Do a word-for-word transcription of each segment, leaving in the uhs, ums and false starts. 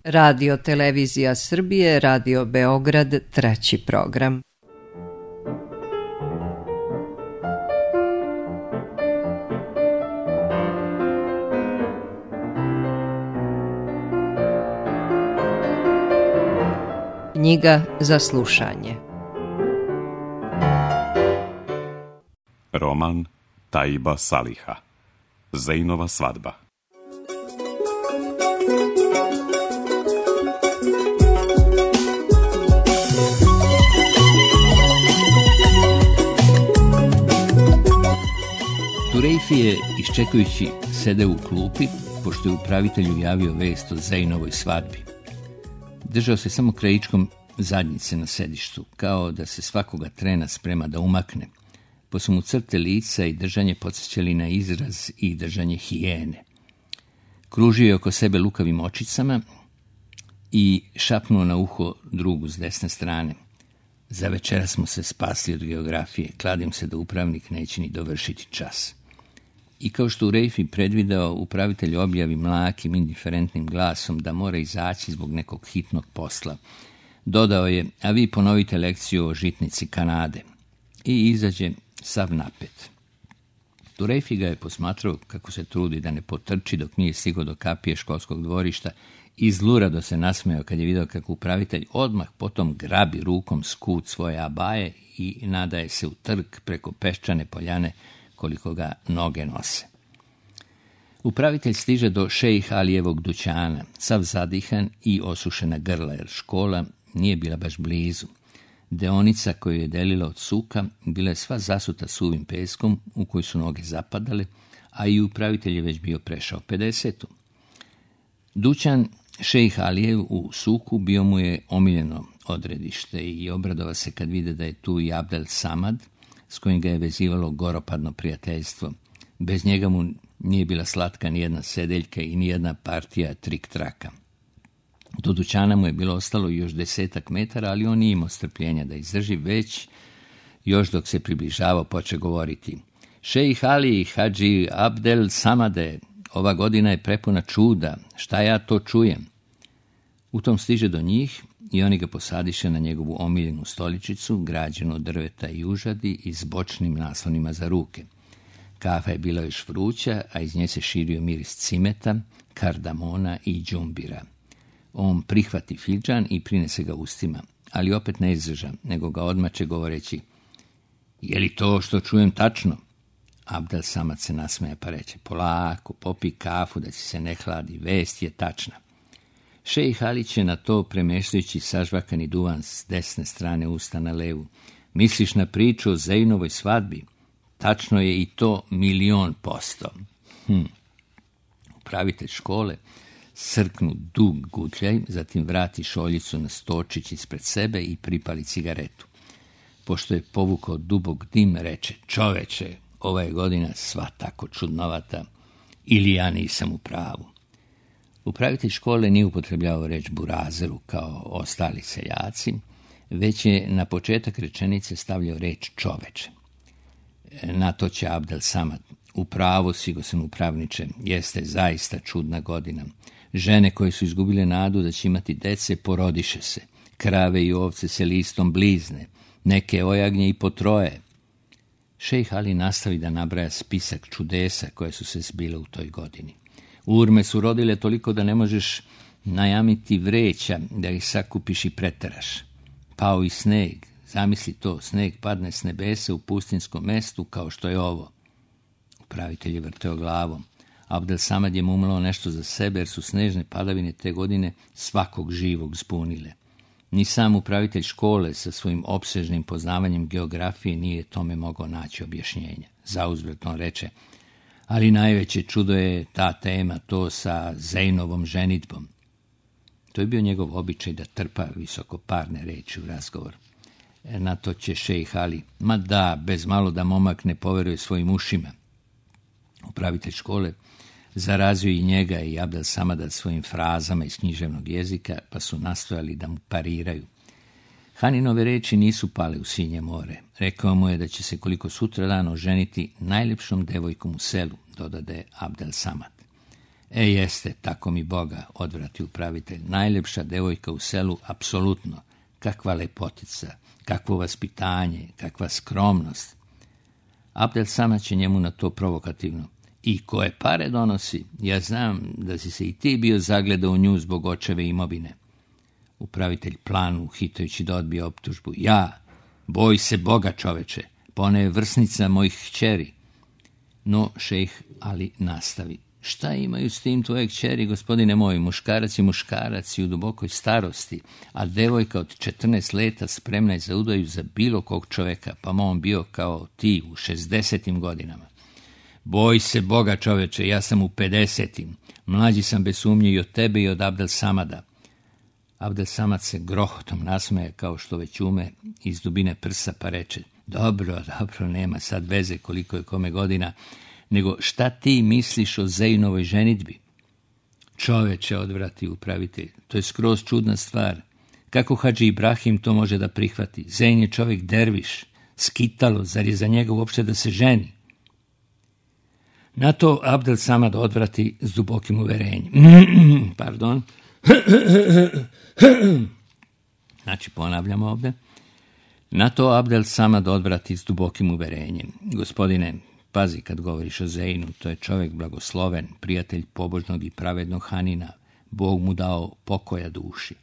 Radio Televizija Srbije, Radio Beograd, treći program. Knjiga za slušanje. Roman Taiba Saliha. Zejnova svadba. Turejfi je, iščekujući, sedeo u klupi, pošto je upravitelju javio vest o Zejnovoj svadbi. Držao se samo krajičkom zadnjice na sedištu, kao da se svakoga trena sprema da umakne, pa su mu crte lica i držanje podsjećali na izraz i držanje hijene. Kružio je oko sebe lukavim očicama i šapnuo na uho drugu s desne strane. Za večera smo se spasli od geografije, kladim se da upravnik neće ni dovršiti čas. I kao što u Rejfi predvideo, upravitelj objavi mlakim, indiferentnim glasom da mora izaći zbog nekog hitnog posla. Dodao je, a vi ponovite lekciju o žitnici Kanade. I izađe sav napet. Turejfi ga je posmatrao kako se trudi da ne potrči dok nije stigao do kapije školskog dvorišta i zlurado se nasmejao kad je vidio kako upravitelj odmah potom grabi rukom skut svoje abaje i nadaje se u trk preko peščane poljane koliko ga noge nose. Upravitelj stiže do šejh Alijevog dućana, sav zadihan i osušena grla, jer škola nije bila baš blizu. Deonica koju je delila od suka bila je sva zasuta suvim peskom u koju su noge zapadale, a i upravitelj je već bio prešao pedesetu. Dućan šejh Alijev u suku bio mu je omiljeno odredište i obradova se kad vide da je tu i Abdel Samad, s kojim ga je vezivalo goropadno prijateljstvo. Bez njega mu nije bila slatka nijedna sedeljka i nijedna partija trik-traka. Do dućana mu je bilo ostalo još desetak metara, ali on nije imao strpljenja da izdrži, već još dok se približavao poče govoriti. Šejh Ali, Hadži Abdel Samade, ova godina je prepuna čuda, šta ja to čujem? U tom stiže do njih i oni ga posadiše na njegovu omiljenu stoličicu, građenu od drveta i užadi i s bočnim naslonima za ruke. Kafa je bila još vruća, a iz nje se širio miris cimeta, kardamona i džumbira. On prihvati fidžan i prinese ga ustima, ali opet ne izdrža, nego ga odmače govoreći, je li to što čujem tačno? Abdel Samad se nasmeja pa reče, polako, popi kafu da ci se ne hladi, vest je tačna. Šejh Ali će na to, premeštajući sažvakani duvan s desne strane usta na levu, misliš na priču o Zejnovoj svadbi? Tačno je i to milion posto. Hm. Upravitelj škole srknu dug gutljaj, zatim vrati šoljicu na stočić ispred sebe i pripali cigaretu. Pošto je povukao dubok dim, reče, čoveče, ova je godina sva tako čudnovata, ili ja nisam u pravu. Upravitelj škole nije upotrebljavao reč burazeru kao ostali seljaci, već je na početak rečenice stavljao reč čoveče. Na to će Abdel Samad, u pravu si, gosen upravniče, jeste zaista čudna godina. Žene koje su izgubile nadu da će imati dece porodiše se, krave i ovce se listom blizne, neke ojagnje i po troje. Šejh Ali nastavi da nabraja spisak čudesa koje su se zbile u toj godini. Urme su rodile toliko da ne možeš najamiti vreća da ih sakupiš i preteraš. Pao i sneg, zamisli to, sneg padne s nebesa u pustinskom mestu kao što je ovo. Upravitelj je vrteo glavom. Abdel Samad je mumlao nešto za sebe, jer su snežne padavine te godine svakog živog zbunile. Ni sam upravitelj škole sa svojim opsežnim poznavanjem geografije nije tome mogao naći objašnjenja. Zauzvrat on reče, ali najveće čudo je ta tema, to sa Zejnovom ženidbom. To je bio njegov običaj da trpa visokoparne reči u razgovor. Na to će šejh Ali, ma da, bez malo da momak ne poveruje svojim ušima. Upravitelj škole zarazio i njega i Abdel Samada svojim frazama iz književnog jezika, pa su nastojali da mu pariraju. Haninove reči nisu pale u sinje more. Rekao mu je da će se koliko sutra dan oženiti najljepšom devojkom u selu, dodade Abdel Samad. E jeste, tako mi Boga, odvrati upravitelj. Najljepša devojka u selu, apsolutno. Kakva lepotica, kakvo vaspitanje, kakva skromnost. Abdel Samad će njemu na to provokativno. I koje pare donosi? Ja znam da si se i ti bio zagledao u nju zbog očeve imovine. Upravitelj planu, hitajući da odbije optužbu. Ja, boj se Boga, čoveče, pa ona je vrsnica mojih kćeri. No, šejh Ali nastavi. Šta imaju s tim tvoje kćeri, gospodine moj? Muškarac je muškarac i u dubokoj starosti, a devojka od četrnaest leta spremna je za udaju za bilo kog čoveka, pa on bio kao ti u šezdesetim godinama. Boj se Boga, čoveče, ja sam u pedesetim. Mlađi sam bez sumnje i od tebe i od Abdel Samada. Abdel Samad se grohotom nasmeje kao što već ume iz dubine prsa, pa reče: Dobro, dobro, nema sad veze koliko je kome godina, nego šta ti misliš o Zejnovoj ženidbi? Čoveče, odvrati upravitelj, to je skroz čudna stvar. Kako Hadži Ibrahim to može da prihvati? Zejn je čovjek derviš, skitalo, zar je za njega uopšte da se ženi? Na to Abdel Samad odvrati s dubokim uverenjem. Pardon. Znači, ponavljamo ovdje. Na to Abdel Samad odvrati s dubokim uverenjem. Gospodine, pazi kad govoriš o Zejnu, to je čovjek blagosloven, prijatelj pobožnog i pravednog Hanina. Bog mu dao pokoja duši.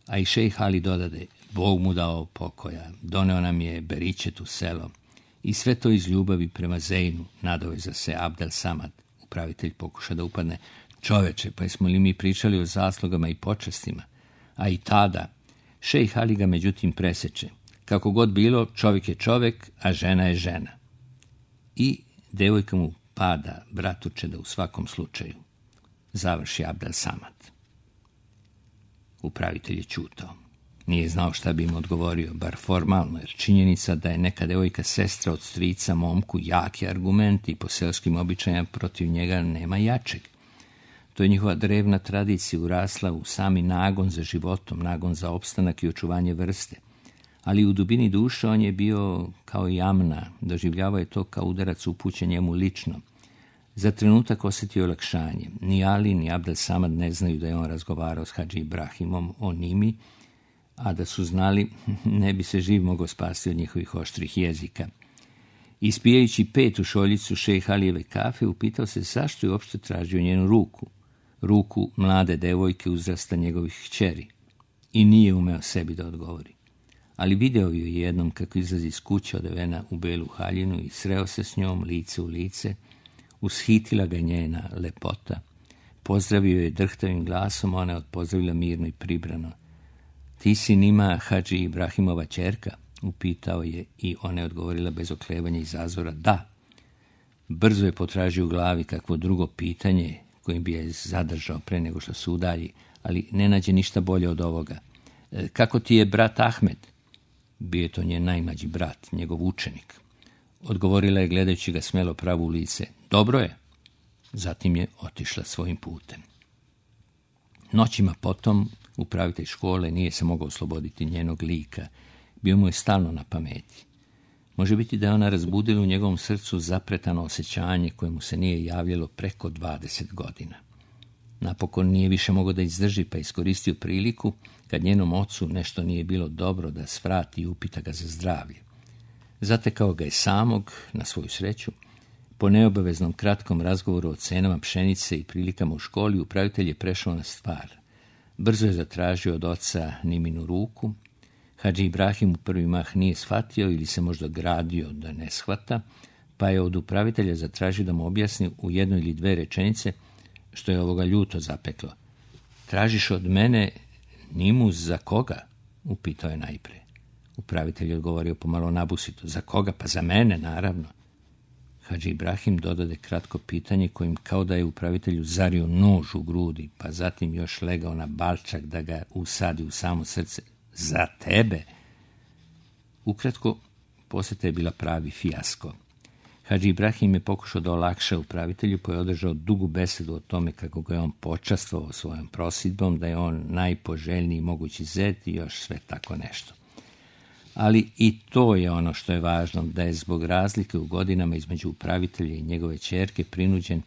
A i šejh Ali dodade, Bog mu dao pokoja, doneo nam je beričet u selo. I sve to iz ljubavi prema Zejnu, nadoveza se Abdel Samad. Upravitelj pokuša da upadne. Čoveče, pa smo li mi pričali o zaslugama i počastima? A i tada, šejh Ali ga međutim preseče. Kako god bilo, čovjek je čovjek, a žena je žena. I devojka mu pada, bratuče, da u svakom slučaju. Završi Abdel Samad. Upravitelj je ćutao. Nije znao šta bi im odgovorio, bar formalno, jer činjenica da je neka devojka sestra od strica momku jaki argument i po selskim običajima protiv njega nema jačeg. To je njihova drevna tradicija urasla u sami nagon za životom, nagon za opstanak i očuvanje vrste. Ali u dubini duše on je bio kao jamna, doživljavao je to kao udarac upućen njemu lično. Za trenutak osjetio olakšanje. Ni Ali, ni Abdel Samad ne znaju da je on razgovarao s Hadži Ibrahimom o Nimi, a da su znali, ne bi se živ mogao spasti od njihovih oštrih jezika. Ispijajući petu šoljicu šejh Alijeve kafe, upitao se zašto je uopšte tražio njenu ruku, ruku mlade devojke uzrasta njegovih kćeri, i nije umeo sebi da odgovori. Ali video ju jednom kako izlazi iz kuće odevena u belu haljinu i sreo se s njom lice u lice, ushitila ga njena lepota, pozdravio je drhtavim glasom, ona je odpozdravila mirno i pribrano. Ti si Nima Hadži Ibrahimova ćerka? Upitao je i ona je odgovorila bez oklevanja i zazora, da. Brzo je potražio u glavi kakvo drugo pitanje kojim bi je zadržao pre nego što se udalji, ali ne nađe ništa bolje od ovoga. Kako ti je brat Ahmed? Bio je to njen najmlađi brat, njegov učenik. Odgovorila je gledajući ga smelo pravo u lice. Dobro je. Zatim je otišla svojim putem. Noćima potom upravitelj škole nije se mogao osloboditi njenog lika. Bio mu je stalno na pameti. Može biti da je ona razbudila u njegovom srcu zapretano osjećanje koje mu se nije javljalo preko dvadeset godina. Napokon nije više mogao da izdrži, pa iskoristio priliku kad njenom ocu nešto nije bilo dobro da svrati i upita ga za zdravlje. Zatekao ga je samog, na svoju sreću. Po neobaveznom kratkom razgovoru o cenama pšenice i prilikama u školi, upravitelj je prešao na stvar. Brzo je zatražio od oca Niminu ruku. Hadži Ibrahim u prvi mah nije shvatio ili se možda gradio da ne shvata, pa je od upravitelja zatražio da mu objasni u jednoj ili dve rečenice što je ovoga ljuto zapeklo. Tražiš od mene Nimu za koga? Upitao je najpre. Upravitelj je odgovorio pomalo nabusito. Za koga? Pa za mene, naravno. Hadži Ibrahim dodade kratko pitanje kojim kao da je upravitelju zario nož u grudi, pa zatim još legao na balčak da ga usadi u samo srce. Za tebe? Ukratko, posjeta je bila pravi fijasko. Hadži Ibrahim je pokušao da olakša upravitelju, pa je održao dugu besedu o tome kako ga je on počastvovao svojom prosidbom, da je on najpoželjniji mogući zet i još sve tako nešto. Ali i to je ono što je važno, da je zbog razlike u godinama između upravitelja i njegove ćerke prinuđen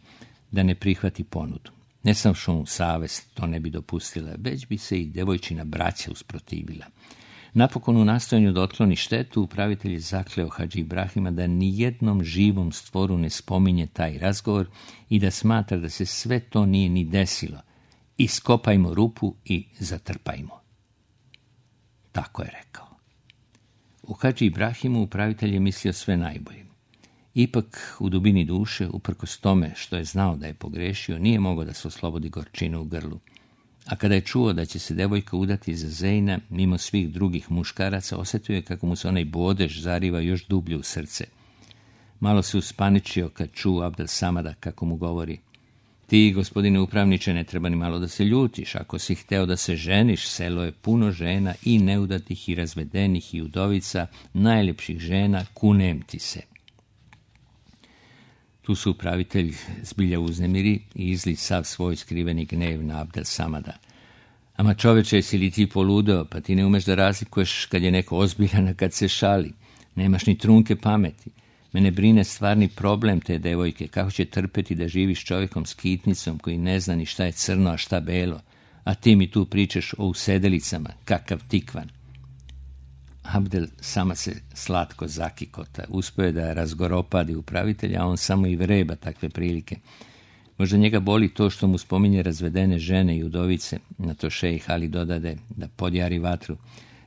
da ne prihvati ponudu. Ne samo što mu savest to ne bi dopustila, već bi se i devojčina braća usprotivila. Napokon u nastojanju da otkloni štetu, upravitelj je zakleo Hadži Ibrahima da nijednom živom stvoru ne spominje taj razgovor i da smatra da se sve to nije ni desilo. Iskopajmo rupu i zatrpajmo. Tako je rekao. U Hadži Ibrahimu upravitelj je mislio sve najbolje. Ipak, u dubini duše, uprkos tome što je znao da je pogrešio, nije mogao da se oslobodi gorčine u grlu. A kada je čuo da će se devojka udati za Zejna, mimo svih drugih muškaraca, osjetio je kako mu se onaj bodež zariva još dublje u srce. Malo se uspaničio kad čuo Abdel Samada kako mu govori: ti, gospodine upravniče, ne treba ni malo da se ljutiš. Ako si hteo da se ženiš, selo je puno žena, i neudatih, i razvedenih, i udovica, najljepših žena, kunem ti se. Tu su upravitelj zbilja uznemiri i izli sav svoj skriveni gnev na Abdel Samada. Ama čoveče, si li ti poludeo, pa ti ne umeš da razlikuješ kad je neko ozbiljan, a kad se šali. Nemaš ni trunke pameti. Mene brine stvarni problem te devojke, kako će trpeti da živiš čovjekom s kitnicom koji ne zna ni šta je crno, a šta belo, a ti mi tu pričaš o usedelicama, kakav tikvan. Abdel Samad se slatko zakikota, uspio je da razgoropadi upravitelja, a on samo i vreba takve prilike. Možda njega boli to što mu spominje razvedene žene i udovice, na to šejh Ali dodade da podjari vatru.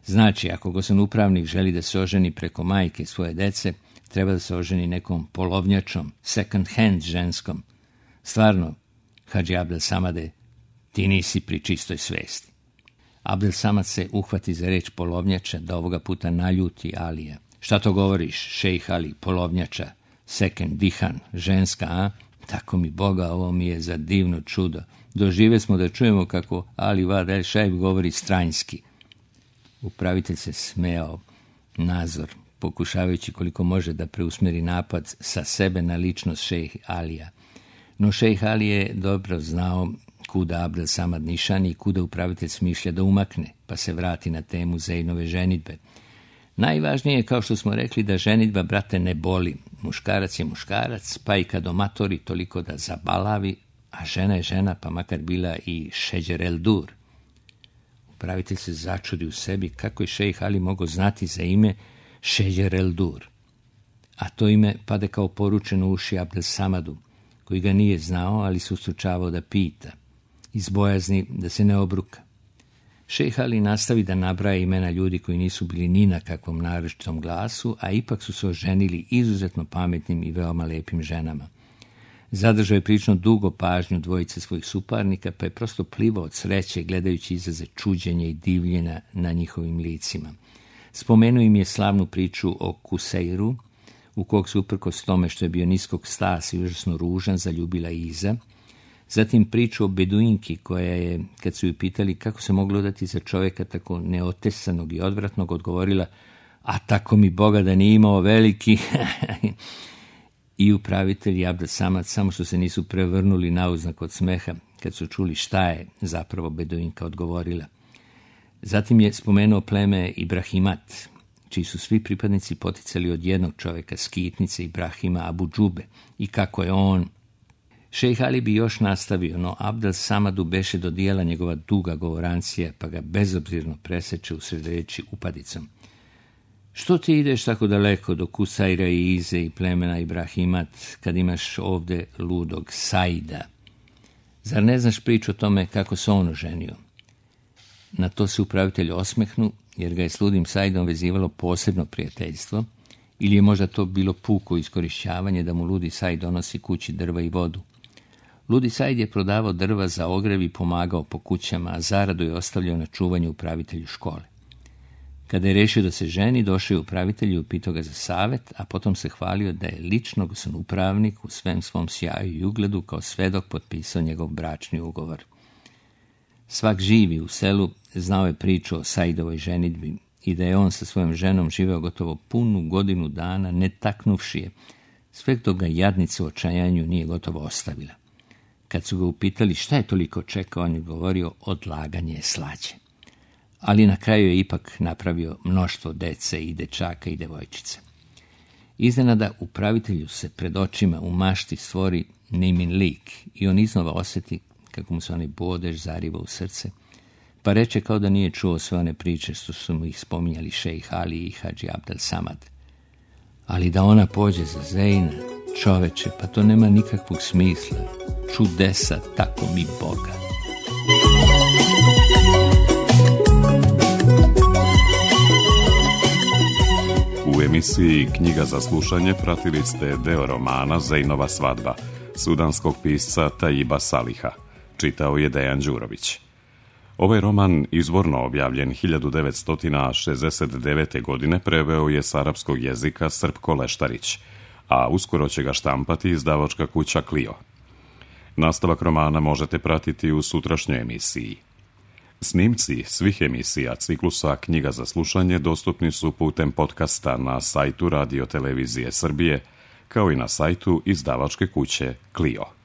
Znači, ako gospodin upravnik želi da se oženi preko majke svoje dece, treba da se oženi nekom polovnjačom, second hand ženskom. Stvarno, Hadži Abdel Samade, ti nisi pri čistoj svesti. Abdel Samad se uhvati za reč polovnjača, da ovoga puta naljuti Alija. Šta to govoriš, šejh Ali, polovnjača, second, dihan, ženska, a? Tako mi Boga, ovo mi je za divno čudo. Dožive smo da čujemo kako Ali Vad el Šajb govori stranjski. Upravitelj se smejao nazor, pokušavajući koliko može da preusmeri napad sa sebe na ličnost šejh Alija. No šejh Ali je dobro znao kuda Abdel Samad nišani i kuda upravitelj smišlja da umakne, pa se vrati na temu Zejnove ženidbe. Najvažnije je, kao što smo rekli, da ženidba, brate, ne boli. Muškarac je muškarac, pa i kad omatori toliko da zabalavi, a žena je žena, pa makar bila i Šeđer el Dur. Upravitelj se začudi u sebi kako je šejh Ali mogao znati za ime Šeđer el Dur. A to ime pade kao poručeno uši Abdel Samadu, koji ga nije znao, ali se ustručavao da pita, iz bojazni da se ne obruka. Šejh Ali nastavi da nabraja imena ljudi koji nisu bili ni na kakvom naročitom glasu, a ipak su se oženili izuzetno pametnim i veoma lepim ženama. Zadržao je prilično dugo pažnju dvojice svojih suparnika, pa je prosto plivao od sreće gledajući izraze čuđenja i divljenja na njihovim licima. Spomenuo im je slavnu priču o Kuseiru, u kog se uprkos tome što je bio niskog stasa i užasno ružan zaljubila Iza. Zatim priču o Beduinki koja je, kad su ju pitali kako se moglo dati za čovjeka tako neotesanog i odvratnog, odgovorila: a tako mi Boga da nije imao veliki. I upravitelj i Abdel Samad samo što se nisu prevrnuli nauznak od smeha kad su čuli šta je zapravo Beduinka odgovorila. Zatim je spomenuo pleme Ibrahimat, čiji su svi pripadnici poticali od jednog čovjeka, skitnice Ibrahima Abu Džube, i kako je on. Šejh Ali bi još nastavio, no Abdel Samadu beše do dijela njegova duga govorancija, pa ga bezobzirno preseče usred reči upadicom. Što ti ideš tako daleko do Kusajra i Ize i plemena Ibrahimat, kad imaš ovde ludog Saida? Zar ne znaš priču o tome kako se on oženio? Na to se upravitelj osmehnu, jer ga je s ludim Saidom vezivalo posebno prijateljstvo, ili je možda to bilo puko iskorišćavanje da mu ludi Said donosi kući drva i vodu. Ludi Said je prodavao drva za ogrev i pomagao po kućama, a zaradu je ostavljao na čuvanju upravitelju škole. Kada je rešio da se ženi, došao je upravitelj i upitao ga za savet, a potom se hvalio da je lično gospodin upravnik u svem svom sjaju i ugledu kao svedok potpisao njegov bračni ugovor. Svak živi u selu znao je priču o Saidovoj ženidbi i da je on sa svojom ženom živeo gotovo punu godinu dana ne taknuvši je, sve dok ga jadnica u očajanju nije gotovo ostavila. Kad su ga upitali šta je toliko čekao, on je govorio: odlaganje je slađe. Ali na kraju je ipak napravio mnoštvo dece i dečaka i devojčice. Iznenada upravitelju se pred očima u mašti stvori Neimin lik i on iznova osjeti kako mu se onaj bodež zariva u srce, pa reče kao da nije čuo sve one priče što su mu ih spominjali šejh Ali i Hadži Abdel Samad. Ali da ona pođe za Zejna, čoveče, pa to nema nikakvog smisla. Čudesa, tako mi Boga. U emisiji Knjiga za slušanje pratili ste deo romana Zejnova svadba, sudanskog pisca Tajiba Saliha. Čitao je Dejan Đurović. Ovaj roman, izvorno objavljen hiljadu devetsto šezdeset devete. godine, preveo je s arapskog jezika Srpko Leštarić, a uskoro će ga štampati izdavačka kuća Clio. Nastavak romana možete pratiti u sutrašnjoj emisiji. Snimci svih emisija ciklusa Knjiga za slušanje dostupni su putem podcasta na sajtu Radio Televizije Srbije, kao i na sajtu izdavačke kuće Clio.